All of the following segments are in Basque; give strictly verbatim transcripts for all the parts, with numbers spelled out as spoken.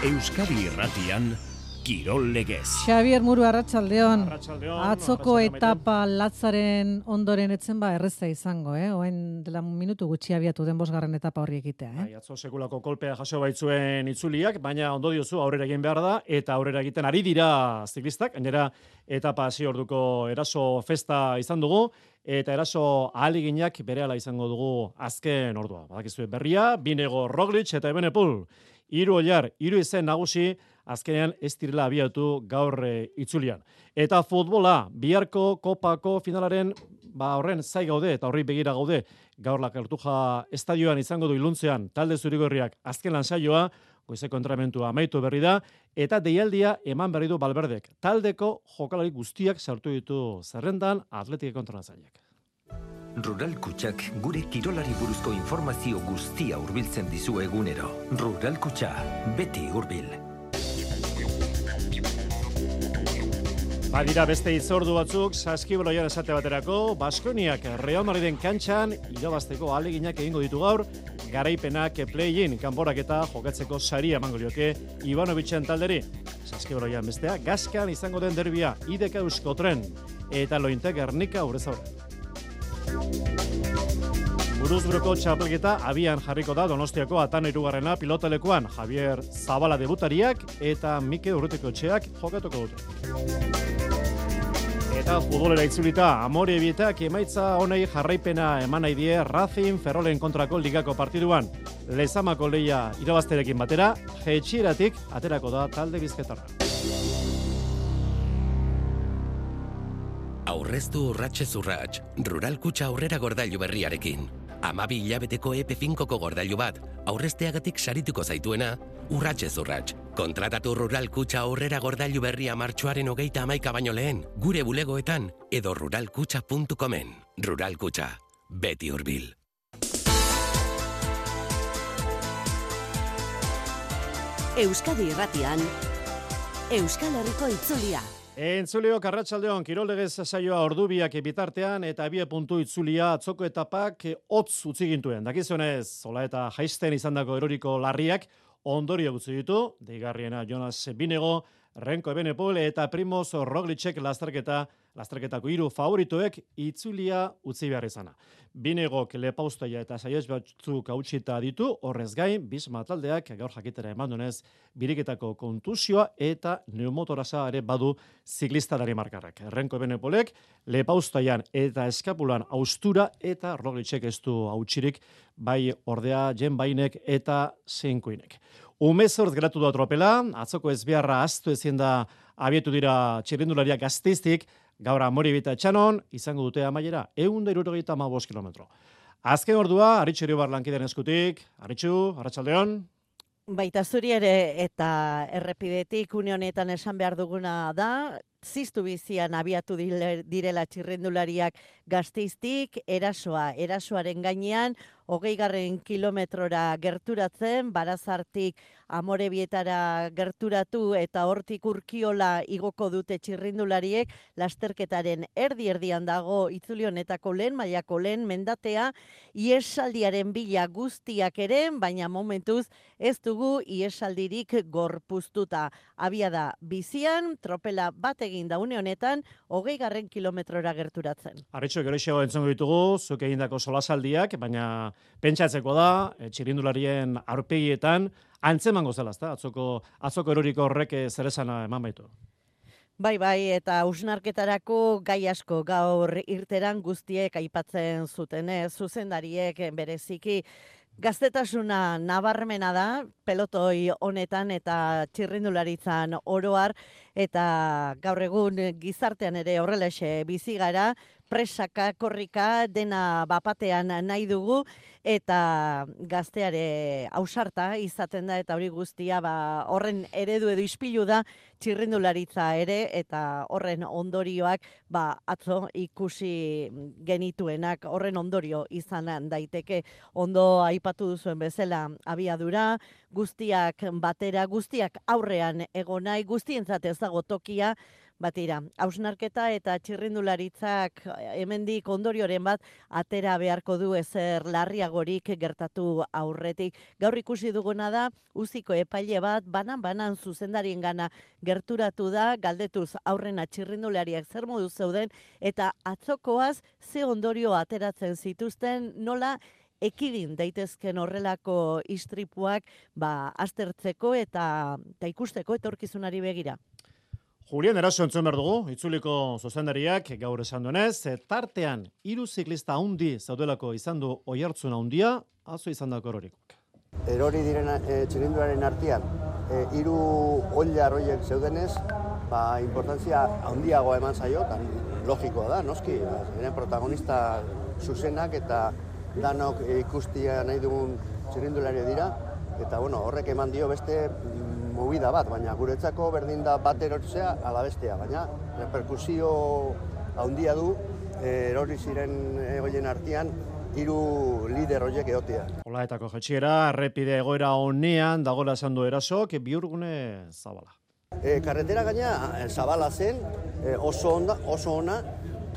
Euskadi Irratian Kirol Legez. Xabier Muru, arratsaldeon. Arratsaldeon. Atzoko etapa latzaren ondoren etzen ba erreza izango, eh? Oen dela minutu gutxi abiatu den bosgarren etapa horri egitea, eh? Bai, atzo sekulako kolpea jaso baitzuen itzuliak, baina ondo diozu aurrera egin behar da, eta aurrera egiten ari dira ziklistak, gainera etapa hasi orduko eraso festa izan dugu, eta eraso ahaleginak berehala izango dugu azken ordua. Badakizue berria, Binego, Roglic eta Ebenepul. Hiru oilar, hiru izen nagusi, azkenean ez direla abiatu gaur e, itzulian. Eta futbola, biharko kopako finalaren ba horren zai gaude eta horri begira gaude. Gaur la Cartuja estadioan izango du iluntzean talde zurigorriak azken lan saioa, goizeko entrenamentua amaitu berri da, eta deialdia eman berri du Valverdek. Taldeko jokalari guztiak sartu ditu zerrendan Atletik kontratzaileak. Rural Kutxak gure kirolari buruzko informazio guztia hurbiltzen dizu egunero. Rural Kutxa, beti hurbil. Badira beste hitzordu batzuk, saskibaloian esate baterako, Baskoniak Real Madriden kantxan irabazteko ahaleginak egingo ditu gaur, garaipenak play-in kanporaketa jokatzeko saria emango lioke Ivanovicen talderi. Saskibaloian bestea, Gaskan izango den derbia, I D K Euskotren eta Lointe Gernika Urrezaurre. Buruzburuko txapelketa abian jarriko da Donostiako Atan hirugarrena pilotalekuan. Javier Zabala debutariak eta Mike Urrutikoetxeak jokatuko dute. Eta futbolera itzulita, Amore Bietak emaitza honei jarraipena eman nahi die Racing Ferrolen kontrako ligako partiduan. Lezamako lehia irabazterekin batera, jetxieratik aterako da talde bizketarra. Aurreztu urratxez urratx, Rural Kutxa aurrera gordailu berriarekin. Amabi hilabeteko E P finkoko gordailu bat, aurrezteagatik sarituko zaituena, urratxez urratx. Kontratatu Rural Kutxa aurrera gordailu berria martxoaren hogeita hamaika baino lehen, gure bulegoetan edo ruralkutxa puntu comen. Rural Kutxa, beti hurbil. Euskadi Irratian, Euskal Herriko itzulia. Entzuleok arratsaldeon Kirollegez saioa ordubiak bitartean eta abie puntu itzulia atzoko etapak hotz utzi gintuen. Dakizunez, zola eta jaisten izandako eroriko larriak ondorio gutzi ditu, deigarriena Jonas Binego, Renko Ebenepul eta Primoz Roglicek lasterketa, lasterketako hiru favoritoek itzulia utzi behar izana. Binegok lepaustaia eta saiez batzuk hautsita ditu, horrez gain, Bisma taldeak gaur jakitera eman dunez, biriketako kontusioa eta neumotorasa ere badu ziklista Danimarkarrak. Renko Ebenepolek lepaustaian eta eskapulan austura eta Roglicek ez du hautsirik, bai ordea Jen Bainek eta Seinkuinek. Umezort geratu da tropela, atzoko ezbeharra aztu ezin da abietu dira txirrindulariak Gasteiztik, gaur Amore Bieta Etxanon, izango dute amaiera, ehun eta hirurogeita hamabost kilometro. Azken ordua, Aritxu Iribar lankideen eskutik. Aritxu, arratsaldeon. Baita zuri ere eta errepidetik une honetan esan behar duguna da, ziztu bizian abiatu direla txirrindulariak Gasteiztik, erasoa, erasoaren gainean, hogei garren kilometrora gerturatzen, Barazartik Amorebietara gerturatu eta hortik Urkiola igoko dute txirrindulariek, lasterketaren erdi-erdian dago itzuli honetako lehen, mailako lehen mendatea, iesaldiaren bila guztiak ere, baina momentuz ez dugu iesaldirik gorpuztuta. Abia da bizian, tropela bat egin da une honetan, hogei garren kilometrora gerturatzen. Arritxo, gero isego entzongo ditugu, zuk egindako solasaldiak, baina pentsatzeko da, txirindularien aurpegietan, antzemango zela, ezta? Atzoko, atzoko eroriko horrek zer esana eman baitu. Bai, bai, eta hausnarketarako gai asko gaur irteran guztiek aipatzen zuten, eh? Zuzendariek bereziki gaztetasuna nabarmena da, pelotoi honetan eta txirrindularitzan oroar, eta gaur egun gizartean ere horrelaxe bizi gara, presaka, korrika, dena bapatean nahi dugu, eta gazteare ausarta izaten da, eta hori guztia ba, horren eredu edo ispilu da txirrindularitza ere, eta horren ondorioak ba, atzo ikusi genituenak, horren ondorio izan daiteke. Ondo aipatu duzuen bezala abiadura, guztiak batera, guztiak aurrean egonai, guztientzat ez dago tokia, batira. Hausnarketa eta txirrindularitzak hemendik ondorioren bat atera beharko du ezer larriagorik gertatu aurretik. Gaur ikusi duguna da, uziko epaile bat banan-banan zuzendarien gana gerturatu da, galdetuz aurrena txirrindulariak zer modu zeuden, eta atzokoaz ze ondorio ateratzen zituzten, nola ekidin daitezken horrelako istripuak ba, aztertzeko eta, eta ikusteko etorkizunari begira. Julian Eraso entzun behar dugu, itzuliko zuzendariak gaur esan duenez, tartean hiru ziklista handi zaudelako izan du oihartzun handia, atzo izan dako erorikoak. Erori diren e, txirrindularen artean, e, hiru oilar horiek zeudenez, ba, importantzia handiagoa eman zaio, logikoa da, noski, eren protagonista zuzenak eta danok ikustia nahi dugun txirrindularia dira, eta bueno, horrek eman dio beste movida bat, baina guretzako berdin da bat erortzea ala bestea, baina reperkusio handia du erori ziren egoien artean hiru lider horiek egotea. Olaetako jetxiera, errepide egoera honean dagoela esan du Erasok, bihurgune zabala. E, karretera gaina zabala zen, e, oso onda, oso ona,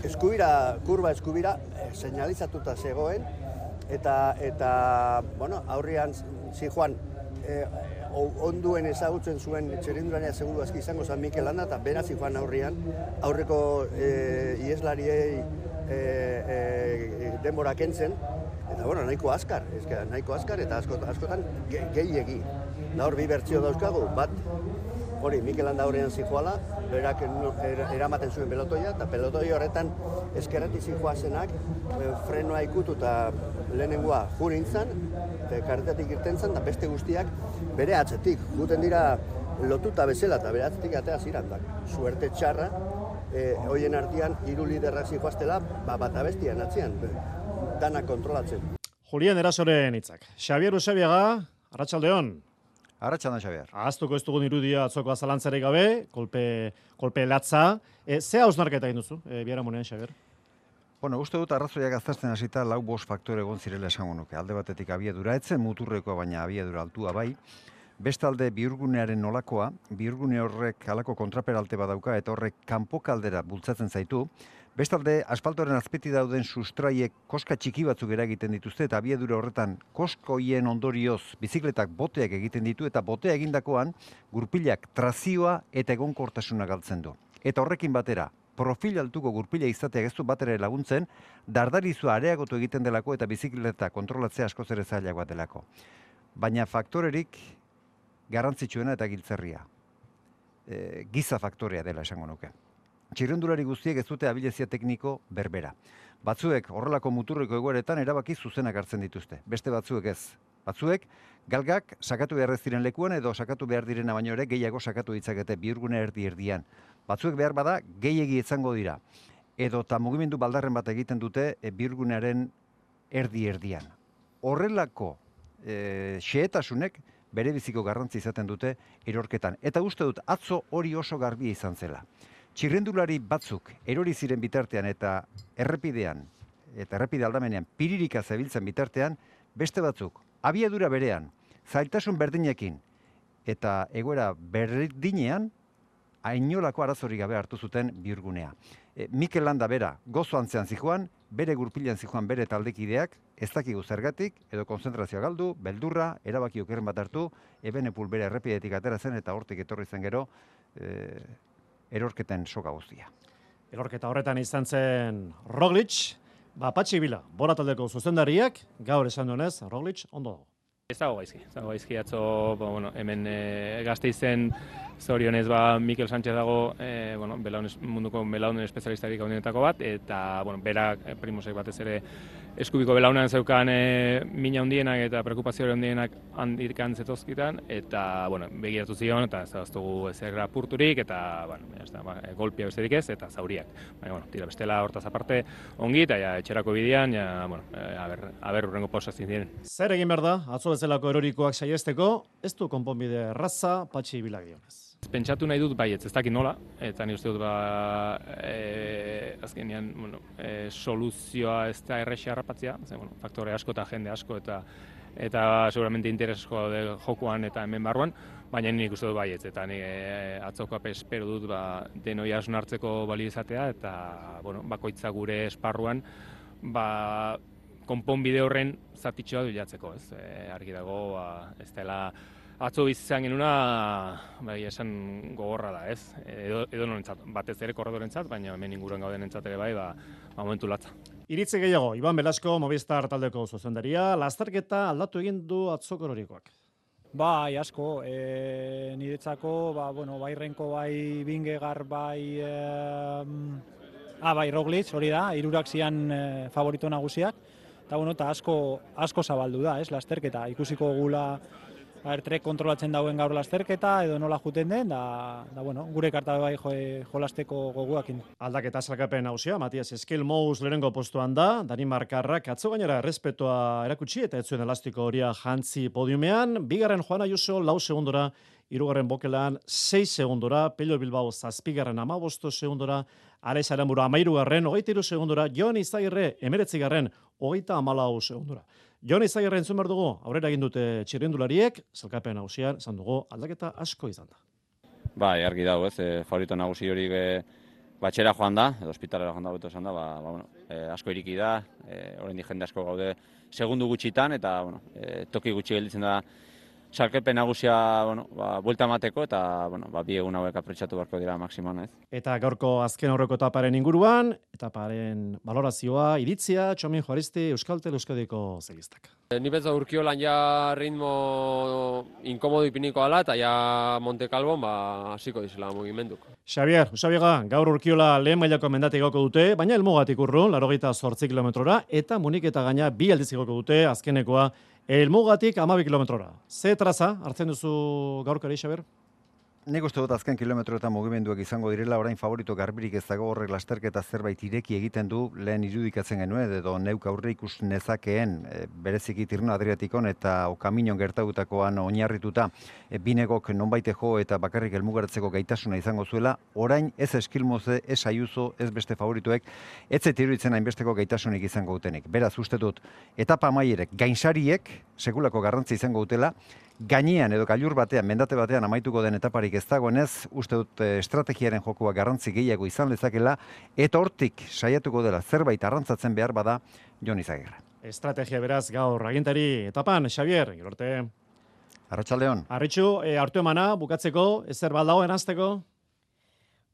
eskubira, kurba eskubira, e, seinalizatuta zegoen, eta, eta bueno, aurrian zijoan, e, onduen ezagutzen zuen txirrindularia seguru aski izango San Mikel Landa, eta beraz zijoan aurrian, aurreko e, ieslariei e, e, denbora kentzen, eta bueno, nahiko azkar, ezke, nahiko azkar, eta askotan, askotan gehiegi. Da hor bi bertsio dauzkagu, bat, hori, Mikel Landa aurrean zijoala, berak eramaten zuen pelotoia, eta pelotoi horretan eskerreti zijoazenak frenoa ikutu eta lehenengoa jurintzan, eta karretatik irten zen, eta beste guztiak bere atzetik. Guten dira lotuta bezala, eta bere atzetik atea zirantak. Suerte txarra, e, hoien artean hiru liderrak zijoaztela, ba, bat abestian atzean, dana kontrolatzen. Julian Erasoren hitzak. Xabier Usabiaga, arratsaldeon. Arratsaldeon, Xabier. Ahaztuko ez dugun irudia atzoko azalantzarik gabe, kolpe, kolpe latza. E, ze hausnarketa egin duzu, e, biharamunean, Xabier? Bueno, uste dut arrazoiak aztertzen hasita lau bost faktore egon zirela esango nuke. Alde batetik abiadura etzen muturrekoa, baina abiadura altua bai. Bestalde bihurgunearen nolakoa, bihurgune horrek halako kontraperalte badauka eta horrek kanpokaldera bultzatzen zaitu. Bestalde, asfaltoren azpiti dauden sustraiek koska txiki batzuk eragiten dituzte eta abiadura horretan koskoien ondorioz bizikletak boteak egiten ditu eta botea egindakoan gurpilak trazioa eta egonkortasuna galtzen du. Eta horrekin batera, profil altuko gurpila izateak ez du batera laguntzen, dardarizua areagotu egiten delako eta bizikleta kontrolatzea askoz ere zailagoa delako. Baina faktorerik garrantzitsuena eta giltzerria. E, giza faktorea dela esango nuke. Txirrindulari guztiek ez dute abilezia tekniko berbera. Batzuek horrelako muturreko egoeretan erabaki zuzenak hartzen dituzte. Beste batzuek ez. Batzuek galgak sakatu behar ez diren lekuan edo sakatu behar direna baino ere gehiago sakatu ditzakete bihurgune erdi erdian. Batzuek behar bada gehiegi izango dira. Edo eta mugimendu baldarren bat egiten dute e, bihurgunearen erdi erdian. Horrelako e, xehetasunek bere biziko garrantzi izaten dute erorketan. Eta uste dut atzo hori oso garbia izan zela. Txirrendulari batzuk erori ziren bitartean eta errepidean, eta errepide aldamenean piririka zebiltzen bitartean, beste batzuk abiadura berean, zailtasun berdinekin eta egoera berdinean, ainolako arazorik gabe hartu zuten bihurgunea. E, Mikel Landa bera gozo antzean zijoan, bere gurpilan zijoan bere taldekideak, ez dakigu zergatik, edo konzentrazioa galdu, beldurra, erabaki okerren bat hartu, Ebenepul bere errepidetik atera zen eta hortik etorri zen gero, e, erorketen soka guztia. Erorketa horretan izan zen Roglic, ba, Patxi Bila, Bora taldeko zuzendariak, gaur esan duenez, Roglic ondo dago. Ez dago gaizki, ez dago gaizki atzo, ba, bueno, hemen e, Gasteizen zorionez ba, Mikel Sánchez dago, e, bueno, belaunes, munduko belaunen espezialistarik gaunenetako bat, eta bueno, berak Primosek batez ere eskubiko belaunean zeukan e, mina handienak eta preokupazio handienak handikan zetozkitan, eta bueno, begiratu zion, eta ez daztugu ezer apurturik, eta bueno, ez da, ba, golpia besterik ez, eta zauriak. Baina, bueno, tira bestela hortaz aparte ongi, eta ja, etxerako bidean, ja, bueno, e, aber, aber urrengo pausazin diren. Zer egin behar da, atzo bezalako erorikoak saiesteko, ez du konponbide erraza Patxi Bila gionez. Pentsatu nahi dut baietz, ez dakit nola, eta ni uste dut ba, e, azkenean, bueno, e, soluzioa ez da errexea harrapatzea, bueno, faktore asko eta jende asko eta eta seguramente interesko daude jokuan eta hemen barruan, baina nik uste dut baietz, eta ni e, atzoko espero dut ba, denoi hartzeko balio izatea, eta bueno, bakoitza gure esparruan ba, konponbide horren zatitxoa bilatzeko, ez? E, argi dago, ba, ez dela atzo bizizan genuna, bai, esan gogorra da, ez? Edo, edo norentzat, batez ere korredorentzat, baina hemen inguruan gauden entzat ere bai, ba, ba momentu latza. Iritzi gehiago, Iban Belasko, Movistar taldeko zuzendaria, lasterketa aldatu egin du atzoko erorikoak. Bai, asko, e, niretzako, ba, bueno, bai Renko, bai Bingegar, bai, e, ah, bai Roglic, hori da, hirurak zian e, favorito nagusiak, eta bueno, eta asko, asko zabaldu da, ez, lasterketa, ikusiko gula, Trek kontrolatzen dauen gaur lasterketa, edo nola juten den, da, da bueno, gure karta bai jo, jolasteko goguakin. Aldaketa salkapen hausia, Matias Eskil-Mous lehenengo postuan da, Danimarkarrak atzo gainera errespetoa erakutsi eta ez zuen elastiko horia jantzi podiumean, bigarren Juan Ayuso lau segundora, hirugarren Bokelan sei segundora, Pello Bilbao zazpigarren amabosto segundora, Alex Aramburu amairugarren, hogeita hiru segundora, Jon Izagirre emeretzigarren, hogeita hamalau segundora. Jon Izagirre entzun behar dugu, aurrera egin dute txirrindulariek, zelkapen hausian, esan dugu, aldaketa asko izan da. Bai, argi dago, ez, e, favorito nagusi hori e, batxera joan da, edo ospitalera joan da beto esan da, ba, ba, bueno, e, asko iriki da, e, oraindik jende asko gaude segundu gutxitan, eta bueno, e, toki gutxi gelditzen da salkepen nagusia, bueno, ba, buelta emateko eta bueno, ba, bi egun hauek apretsatu beharko dira maksimoan, ez? Eta gaurko azken aurreko etaparen inguruan, etaparen valorazioa, iritzia, Txomin Juaristi, Euskaltel Euskadiko zegistak. E, ni betza urkiolan ja ritmo inkomodo ipiniko ala eta ja Monte Calvon ba, hasiko dizela mugimenduk. Xavier, Usabiega, gaur urkiola lehen mailako mendatik gauko dute, baina helmugatik urrun, laurogeita zortzi kilometrora, eta Munik eta gaina bi aldiz igoko dute, azkenekoa, helmugatik hamabi kilometrora. Ze traza hartzen duzu gaurkari, Xavier? Nik uste dut azken kilometroetan mugimenduak izango direla, orain favorito garbirik ez dago, horrek lasterketa zerbait ireki egiten du, lehen irudikatzen genuen, edo neuk aurre ikus nezakeen, e, bereziki Tirreno Adriatikon eta Okaminon gertatutakoan oinarrituta, e, binegok nonbaite jo eta bakarrik helmugaratzeko gaitasuna izango zuela, orain ez Eskil-Mouse, ez Ayuso, ez beste favoritoek, ez zait iruditzen hainbesteko gaitasunik izango dutenik. Beraz, uste dut, etapa amaierek, gainsariek, sekulako garrantzi izango dutela, gainean edo gailur batean, mendate batean amaituko den etaparik ez dagoenez, uste dut estrategiaren jokoa garrantzi gehiago izan lezakela, eta hortik saiatuko dela zerbait arrantzatzen behar bada Jon Izagirre. Estrategia beraz gaur agintari etapan, Xavier, gero arte. Arratsaldeon. Arritxu, e, hartu emana, bukatzeko, ezer baldago eranzteko?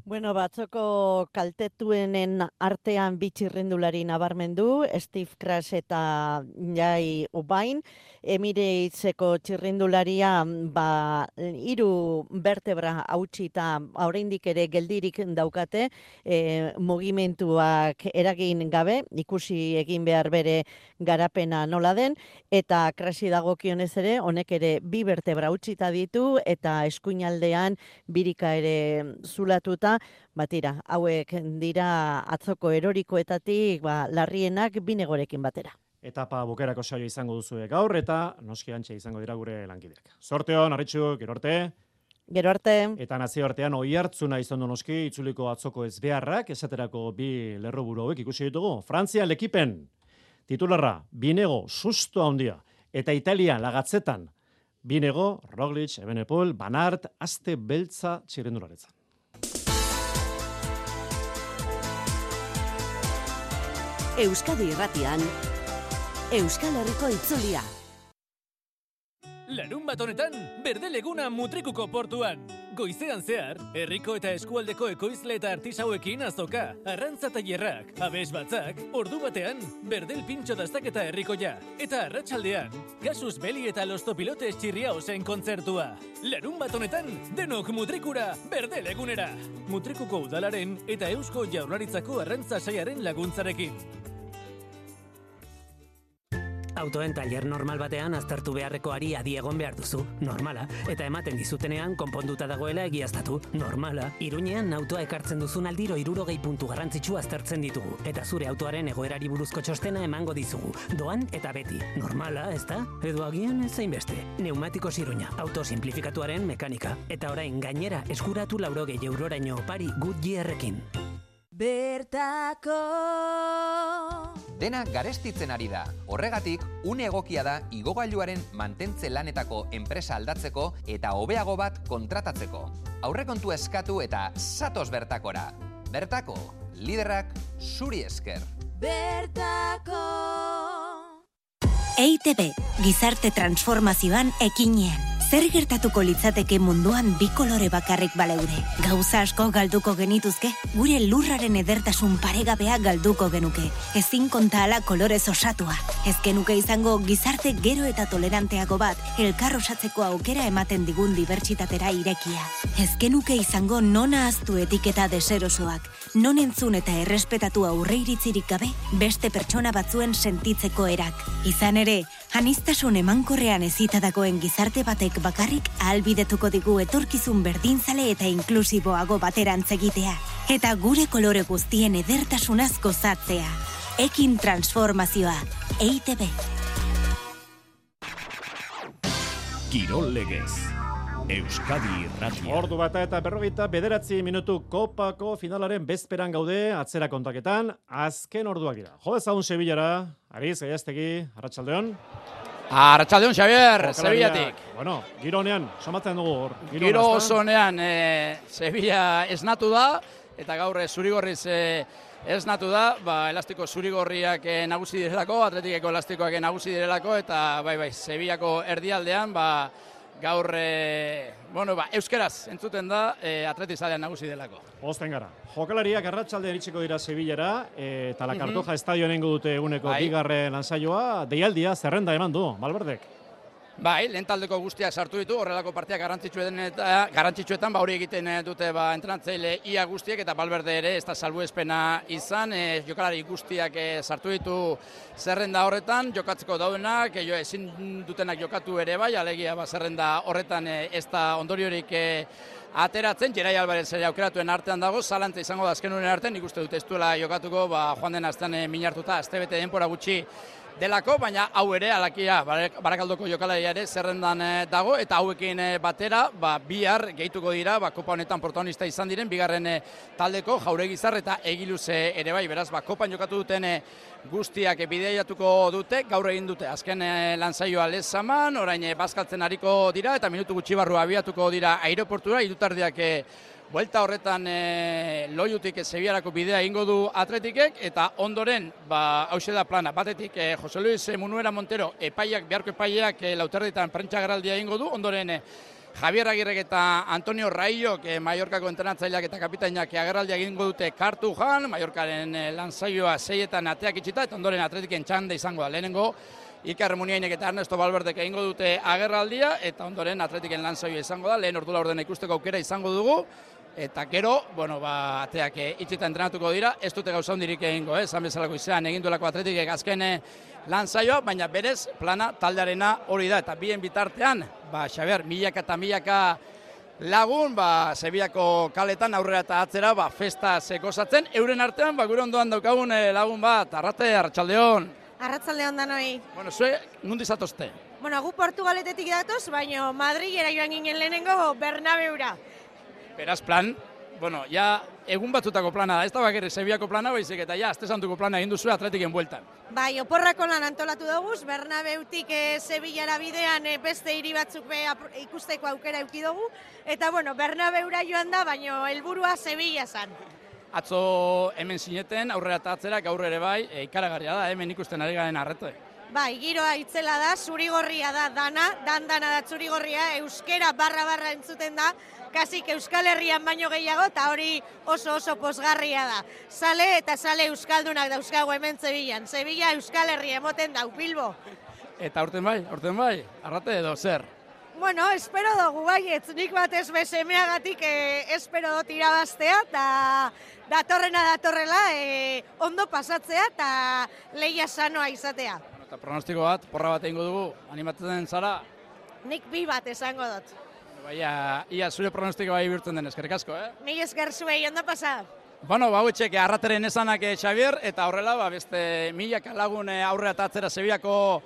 Bueno, batzoko kaltetuenen artean bitxirrindulari nabarmendu, Steve Crash eta Jai Ubain, Emirateseko txirrindularia ba, hiru bertebra hautsita oraindik ere geldirik daukate, e, mugimenduak eragin gabe, ikusi egin behar bere garapena nola den, eta Crashi dagokionez ere, honek ere bi bertebra hautsita ditu, eta eskuinaldean birika ere zulatuta, batira, hauek dira atzoko erorikoetatik ba, larrienak binegorekin batera. Etapa bukerako saio izango duzu gaur eta noski antxe izango dira gure lankideak. Zorteon, Arritxu, gero arte. Gero arte. Eta nazio artean oi hartzuna izan du noski itzuliko atzoko ezbeharrak, esaterako bi lerroburu hauek ikusi ditugu. Frantzia lekipen, titularra, Binego, susto handia, eta Italia lagatzetan, Binego, Roglic, Evenepoel, Van Aert, aste beltza txirrendularetzan. Euskadi Irratian, Euskal Herriko itzulia. Larun bat honetan, Berdeleguna Mutrikuko portuan. Goizean zehar, herriko eta eskualdeko ekoizle eta artisauekin azoka, arrantza tailerrak, abes batzak, ordu batean, Berdel pintxo dastaketa herrikoia. Eta arratsaldean, Kasus Beli eta Los Topilotes Txirriaosen kontzertua. Larun bat honetan, denok Mutrikura, Berdelegunera. Mutrikuko udalaren eta Eusko Jaurlaritzako arrantza saiaren laguntzarekin. Autoen tailer normal batean aztertu beharreko ari adi egon behar duzu, normala, eta ematen dizutenean konponduta dagoela egiaztatu, normala. Iruñean autoa ekartzen duzun aldiro hirurogei puntu garrantzitsu aztertzen ditugu, eta zure autoaren egoerari buruzko txostena emango dizugu, doan eta beti, normala, ezta? Edo agian ez zainbeste. Neumatikos Iruña, auto simplifikatuaren mekanika, eta orain gainera eskuratu laurogei euroraino opari Goodyearrekin. Bertako dena garestitzen ari da. Horregatik, une egokia da igogailuaren mantentze lanetako enpresa aldatzeko eta hobeago bat kontratatzeko. Aurrekontua eskatu eta zatoz bertakora. Bertako, liderrak zuri esker. Bertako. E I Te Be, gizarte transformazioan ekinean. Zer gertatuko litzateke munduan bi kolore bakarrik baleude? Gauza asko galduko genituzke, gure lurraren edertasun paregabea galduko genuke. Ezin konta ala kolorez osatua. Ez genuke izango gizarte gero eta toleranteago bat, elkar osatzeko aukera ematen digun dibertsitatera irekia. Ez genuke izango non ahaztu etiketa deserosoak, non entzun eta errespetatu aurreiritzirik gabe, beste pertsona batzuen sentitzeko erak. Izan ere, aniztasun emankorrean ezitadakoen gizarte batek bakarrik ahalbidetuko digu etorkizun berdinzale eta inklusiboago baterantz egitea. Eta gure kolore guztien edertasunaz gozatzea. Ekin transformazioa. E I Te Be. Kirol legez. Euskadi Irratia. Ordu bata eta berrogeita bederatzi minutu kopako finalaren bezperan gaude atzera kontaketan. Azken orduak dira. Jo dezagun Sevillara. Ariz, Gaiaztegi, Arratsaldeon. Arratsaldeon, Xavier, Sevillatik. Bueno, gironean, somatzen dugu hor. Giro osonean, e, Sevilla esnatu da, eta gaur zurigorriz e, esnatu da, ba, elastiko zurigorriak e, nagusi direlako, Atletikeko elastikoak nagusi direlako, eta bai, bai, Sevillako erdialdean, ba, gaur, e, bueno, ba, euskeraz entzuten da, e, atletizalean nagusi delako. Osten gara. Jokalariak arratsaldean iritsiko dira Sevillara, e, eta la Cartoja estadioan engo dute eguneko bai. bigarren lansaioa, deialdia zerrenda eman du, Valverdek. Bai, lehen taldeko guztiak sartu ditu, horrelako partiak garrantzitsuetan, eta, garrantzitsuetan ba, hori egiten dute ba, entrenatzaile ia guztiek, eta Valverde ere ez da salbuespena izan, e, jokalari guztiak e, sartu ditu zerrenda horretan, jokatzeko daudenak, e, jo, ezin dutenak jokatu ere bai, alegia ba, zerrenda horretan e, ez da ondoriorik e, ateratzen, Gerai Alvarez ere aukeratuen artean dago, zalantza izango da azken unen artean, nik uste dut ez duela jokatuko, ba, joan den aztean e, minartuta, astebete denpora gutxi delako, baina hau ere, alakia, Barakaldoko jokalari ere zerrendan dago, eta hauekin batera, ba, bihar gehituko dira, ba, kopa honetan protagonista izan diren, bigarren taldeko, Jauregizar eta Egiluze ere bai, beraz, ba, kopan jokatu duten guztiak bideiatuko dute, gaur egin dute, azken lansaioa Lezaman, orain bazkaltzen hariko dira, eta minutu gutxi barru abiatuko dira aireportura, hirutardiak buelta horretan e, Loiutik Sevillarako bidea egingo du Atletikek, eta ondoren, ba, hauxe da plana, batetik e, Jose Luis Munuera Montero epaiak, beharko epaiak e, lauterditan prentsa garaldia egingo du, ondoren e, Javier Agirrek eta Antonio Raiok, e, Mallorcako entrenatzaileak eta kapitainak agerraldia egingo dute Kartujan, Mallorcaren e, lansaioa seietan ateak itxita, eta ondoren Atletiken txanda izango da, lehenengo Iker Muniainek eta Ernesto Valverdek egingo dute agerraldia, eta ondoren Atletiken lansaioa izango da, lehen ordu laurdena ikusteko aukera izango dugu, eta gero, bueno, ba, ateak itxita entrenatuko dira, ez dute gauza hundirik egingo, eh? Esan bezalako izan, egin duelako Atletikek azken lan zaioa, baina berez plana taldearena hori da, eta bien bitartean, ba, Xabier, milaka eta milaka lagun, ba, Sevillako kaletan aurrera eta atzera, ba, festa zekozatzen, euren artean, ba, gure ondoan daukagun lagun bat, Arrate, Arratsaldeon. Arratsaldeon danoi. Bueno, zue, nundi zatozte? Bueno, gu Portugaletetik datoz, baina Madrilera joan ginen lehenengo Bernabeura. Beraz plan, bueno, ja egun batzutako plana da, ez da bakarrik Sevillako plana, baizik eta ja, azte santuko plana egin duzu Atletiken bueltan. Bai, oporrako lan antolatu dugu, Bernabeutik e, Sevillara bidean e, beste hiri batzuk be, ikusteko aukera eduki dugu, eta bueno, Bernabeura joan da, baina helburua Sevilla zan. Atzo hemen sineten, aurrera eta atzera, gaur ere bai, e, ikaragarria da, hemen ikusten ari garen Arrate. Bai, giroa itzela da, zurigorria da dana, dan dana da zurigorria, euskera barra barra entzuten da, kasik Euskal Herrian baino gehiago, eta hori oso oso posgarria da. Sale eta sale euskaldunak dauzkago hemen Sevillan. Sevilla Euskal Herria emoten dau, Bilbo. Eta aurten bai, aurten bai, Arrate edo zer? Bueno, espero dugu baietz, nik batez besemeagatik eh, espero dut irabaztea, eta datorrena datorrela eh, ondo pasatzea eta lehia sanoa izatea. Eta pronostiko bat, porra bat egingo dugu, animatzen zara? Nik bi bat esango dut. Baina, ia zure pronostiko bai bihurtzen den, eskerrik asko, eh? Mi esker zuei, ondo pasa. Bueno, ba, hauetxek Arrateren esanak Xavier, eta horrela, ba, beste milaka lagun aurrera eta atzera Sevillako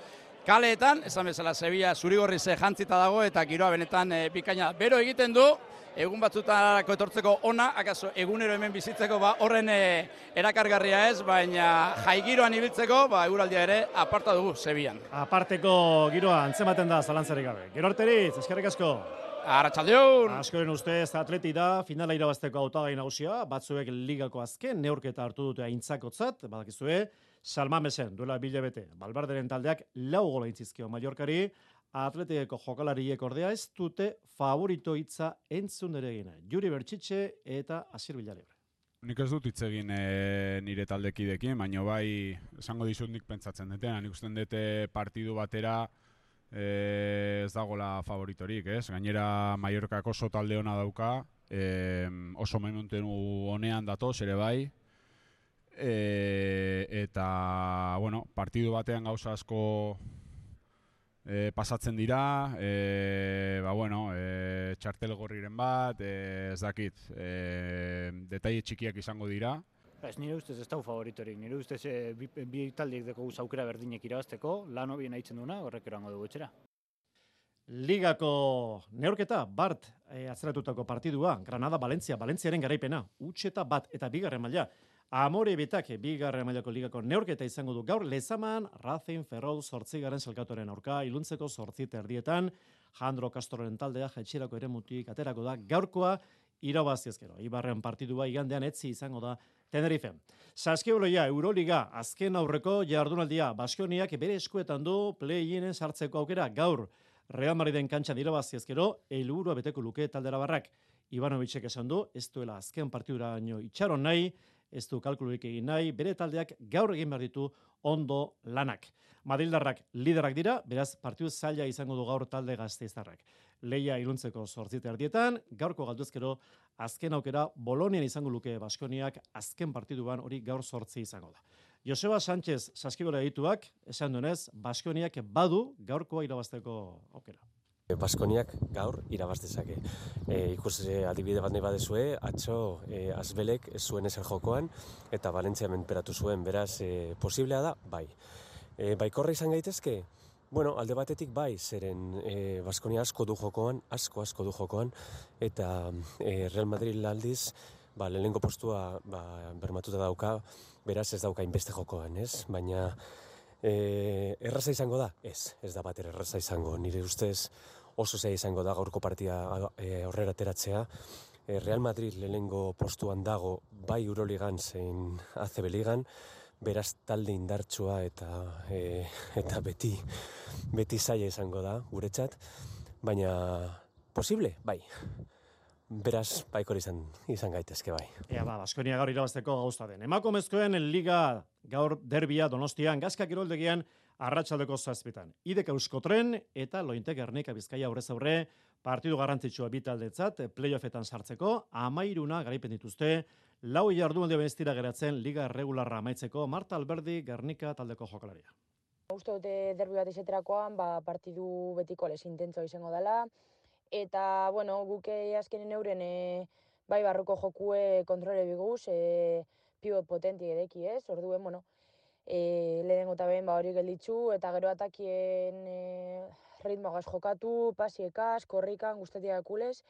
kaleetan, esan bezala Sevilla zurigorri ze jantzita dago eta giroa benetan e, bikaina. Bero egiten du, egun batzutarako etortzeko ona, akaso egunero hemen bizitzeko ba, horren e, erakargarria ez, baina jai giroan ibiltzeko, ba, eguraldia ere aparta dugu Sevillan. Aparteko giroa antzematen da zalantzarik gabe. Gero arteriz, eskerrik asko. Arratsaldeon. Askoren ustez Atleti da finala irabazteko hautagai nagusia, batzuek ligako azken neurketa hartu dute aintzakotzat, badakizue, Salmamesen duela bilabete. Balbarderen taldeak lau gola intzizkio Mallorcari, Atletikeko jokalariek ordea ez dute favorito hitza entzun ere egina. Juri Bertxitxe eta Asier Villalibre. Nik ez dut hitz egin e, nire taldekidekin, baina bai esango dizut nik pentsatzen dutena. Nik usten dute partidu batera e, ez dagoela favoritorik, ez? Gainera Mallorcako oso talde ona dauka, e, oso momentu honean datoz ere bai. E, eta, bueno, partidu batean gauza asko e, pasatzen dira, e, ba, bueno, e, txartel gorriren bat, e, ez dakit, e, detaile txikiak izango dira. Ez nire ustez ez dau favoritorik, nire ustez e, bi, bi taldeek deko aukera berdinek irabazteko, lan hobien haitzen duna, horrek erango dugu etxera. Ligako neurketa, Bart e, atzeratutako partidua, Granada-Valencia, Valentziaren garaipena, utxeta bat eta bigarren maila. Amore betak bigarren mailako ligako neurketa izango du gaur Lezaman, Racing Ferrol zortzigaren selkatoren aurka, iluntzeko zortzit erdietan, Jandro Castroren taldea jetxirako eremutik aterako da gaurkoa irabazi ezkero. Ibarren partidua igandean etzi izango da Tenerife. Saskiboloia Euroliga azken aurreko jardunaldia Baskoniak bere eskuetan du play-inen sartzeko aukera gaur Real Madriden kantxan irabazi ezkero helburua beteko luke taldera barrak. Ivanovicek esan du ez duela azken partiduraino itxaron nahi, ez du kalkulurik egin nahi, bere taldeak gaur egin behar ditu ondo lanak. Madrildarrak liderak dira, beraz partidu zaila izango du gaur talde Gasteiztarrak. Leia iluntzeko zortzite erdietan, gaurko galduzkero azken aukera Bolonian izango luke Baskoniak azken partiduan hori gaur zortzi izango da. Joseba Sánchez Saskibora dituak, esan duenez, Baskoniak badu gaurkoa irabazteko aukera. Baskoniak gaur irabaz dezake. E, ikus adibide bat nahi badezue, atzo e, Azbelek ez zuen ezer jokoan eta Valentzia menperatu zuen, beraz e, posiblea da, bai. E, baikorra izan gaitezke? Bueno, alde batetik bai, zeren e, Baskonia asko du jokoan, asko asko du jokoan, eta e, Real Madrid aldiz, ba, lehenengo postua ba, bermatuta dauka, beraz ez dauka inbeste jokoan, ez? Baina e, erraza izango da? Ez, ez da bat erraza izango, nire ustez oso zaila izango da gaurko partia e, aurrera ateratzea. E, Real Madrid lehenengo postuan dago bai Euroligan zein A C B Ligan, beraz talde indartsua eta e, eta beti beti zaila izango da guretzat, baina posible, bai. Beraz, baikor izan, izan gaitezke bai. Ea ba, Baskonia gaur irabazteko gauza den. Emakumezkoen Liga gaur derbia Donostian, Gazka kiroldegian arratsaldeko zazpitan. Idek Euskotren eta Lointek Gernika Bizkaia aurrez aurre partidu garrantzitsua bi taldetzat playoffetan sartzeko, amairuna garaipen dituzte, lau jardunaldi benestira geratzen Liga regularra amaitzeko Marta Alberdi Gernika taldeko jokalaria. Uste dute derbi bat izaterakoan, ba, partidu betiko les intentzo izango dela, eta, bueno, guke azkenen euren e, bai barruko jokue kontrole biguz, e, pivot potenti edeki ez, orduen, bueno, e, lehenengo eta behin ba, hori gelditzu, eta gero atakien e, ritmogaz jokatu, pasiekaz, korrikan, guztatiak kulez,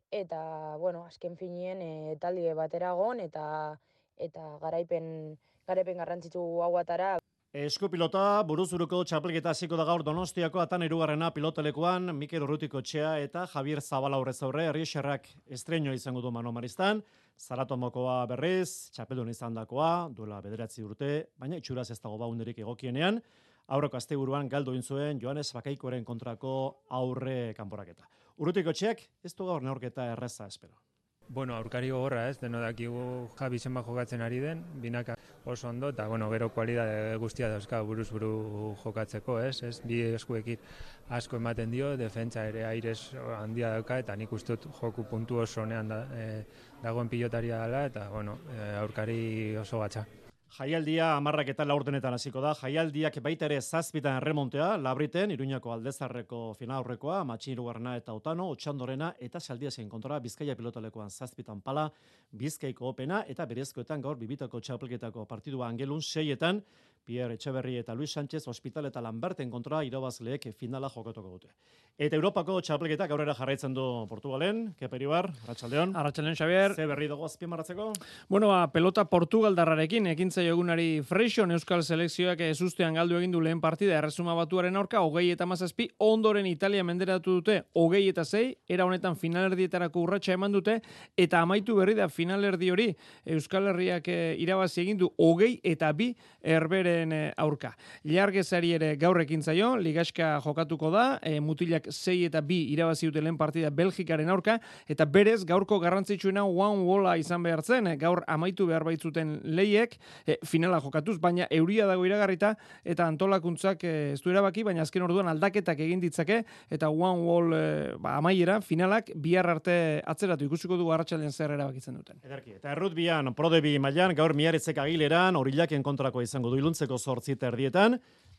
eta, bueno, azken finien e, talde bateragon, eta, eta garaipen, garaipen garrantzitsu hauatara. Eskupilota, buruzuruko txapelketa hasiko da gaur Donostiako atan hirugarrena pilotalekuan, Mikel Urrutiko Txea eta Javier Zabala aurrez aurre, Herrixerrak estreño izango du Mano Maristan, Zaratomokoa berriz, txapeldun izandakoa, duela bederatzi urte, baina itxuraz ez dago baunderik egokienean, aurreko asteburuan galdu egin zuen Joanes Bakaikoren kontrako aurre kanporaketa. Urrutiko Txeak ez du gaur neurketa erreza espero. Bueno, aurkari gogorra ez, deno dakigu Javi zenba jokatzen ari den, binaka oso ondo, eta bueno, gero kualidade guztia dauzka buruz buru jokatzeko, ez, ez, bi eskuekin asko ematen dio, defentsa ere aires handia dauka, eta nik uste dut joku puntu oso honean da, e, dagoen pilotaria dela, eta bueno, e, aurkari oso gatza. Jaialdia hamarrak eta laurdenetan hasiko da. Jaialdiak baita ere zazpitan erremontea, Labriten, Iruñako Aldezarreko final aurrekoa, Matxin Hirugarrena eta Otano, Otxandorena eta Saldiasen kontra Bizkaia pilotalekoan zazpitan pala, Bizkaiko opena eta berezkoetan gaur bibitako txapelketako partidua Angelun seietan, Pierre Etxeberri eta Luis Sánchez Hospital eta Lamberten kontra irabazleek finala jokatuko dute. Eta Europako txapelketak aurrera jarraitzen du Portugalen, Keperibar, Arratsaldeon. Arratsaldeon, Xabier. Ze berri dago azpimarratzeko? Bueno, ba, pelota Portugaldarrarekin ekintzaio egunari Freixon Euskal Selekzioak ezustean galdu egin du lehen partida Erresuma Batuaren aurka, hogei eta hamazazpi, ondoren Italia menderatu dute, hogei eta sei, era honetan finalerdietarako urratsa eman dute, eta amaitu berri da finalerdi hori Euskal Herriak e, irabazi egin du hogei eta bi Herberen e, aurka. Ilargezari ere gaur ekintzaio, ligaxka jokatuko da, e, mutilak sei eta bi irabazi dute lehen partida Belgikaren aurka, eta berez gaurko garrantzitsuena one walla izan behar zen, gaur amaitu behar baitzuten lehiek, e, finala jokatuz, baina euria dago iragarrita, eta antolakuntzak e, ez du erabaki, baina azken orduan aldaketak egin ditzake, eta one wall e, ba, amaiera, finalak, bihar arte atzeratu ikusiko du arratsaldean zer erabakitzen duten. Ederki. Eta errutbian, prodebi mailan gaur Miarritzek Agileran, Orillaken kontrako izango du iluntzeko zortzi erdietan,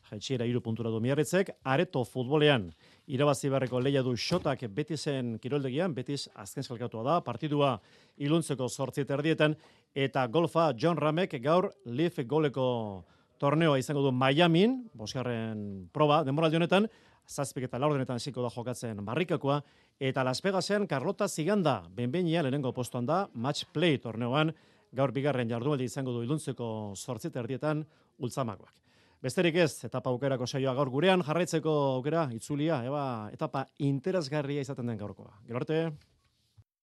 jaitsiera hiru puntura du Miarritzek, Areto futbolean irabazi beharreko lehia du Xotak Betisen kiroldegian, Betis azken salkatua da, partidua iluntzeko zortzi erdietan, eta golfa John Ramek gaur Leaf goleko torneoa izango du Miamin, bosgarren proba, denboraldi honetan, zazpik eta laurdenetan hasiko da jokatzen barrikakoa, eta Las Vegasen Carlota Ziganda, benbeinia lehenengo postuan da, match play torneoan, gaur bigarren jardunaldi izango du iluntzeko zortzi erdietan ultzamakoak. Besterik ez, etapa aukerako saioa gaur gurean, jarraitzeko aukera, itzulia, eba, etapa interesgarria izaten den gaurkoa. Gero arte.